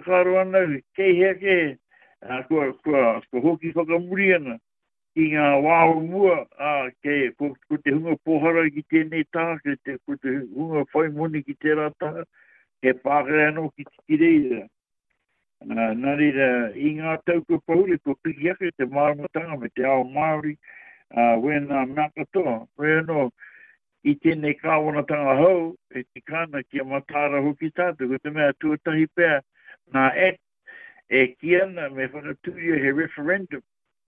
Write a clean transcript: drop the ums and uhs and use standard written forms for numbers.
Whakaaro ana au, kei hea kē, ā, kua, kua, kua hoki whakamuri ana ki ngā wā o mua, ā, kei, ko, ko te hunga pōhara ki tēnei taha, kei te, ko te hunga whai moni ki tērā taha, he pākehā anō ki, ki reira. Ā, nā reira, i ngā tau kua pahure, kua piki ake te māramatanga me te ao Māori, ā, wēnā mea katoa. Hoi anō, i tēnei kāwanatanga hou, e tika ana kia mataara hoki tātou, ko te mea tuatahi pea nā Act e kī ana me whakatūria he referendum.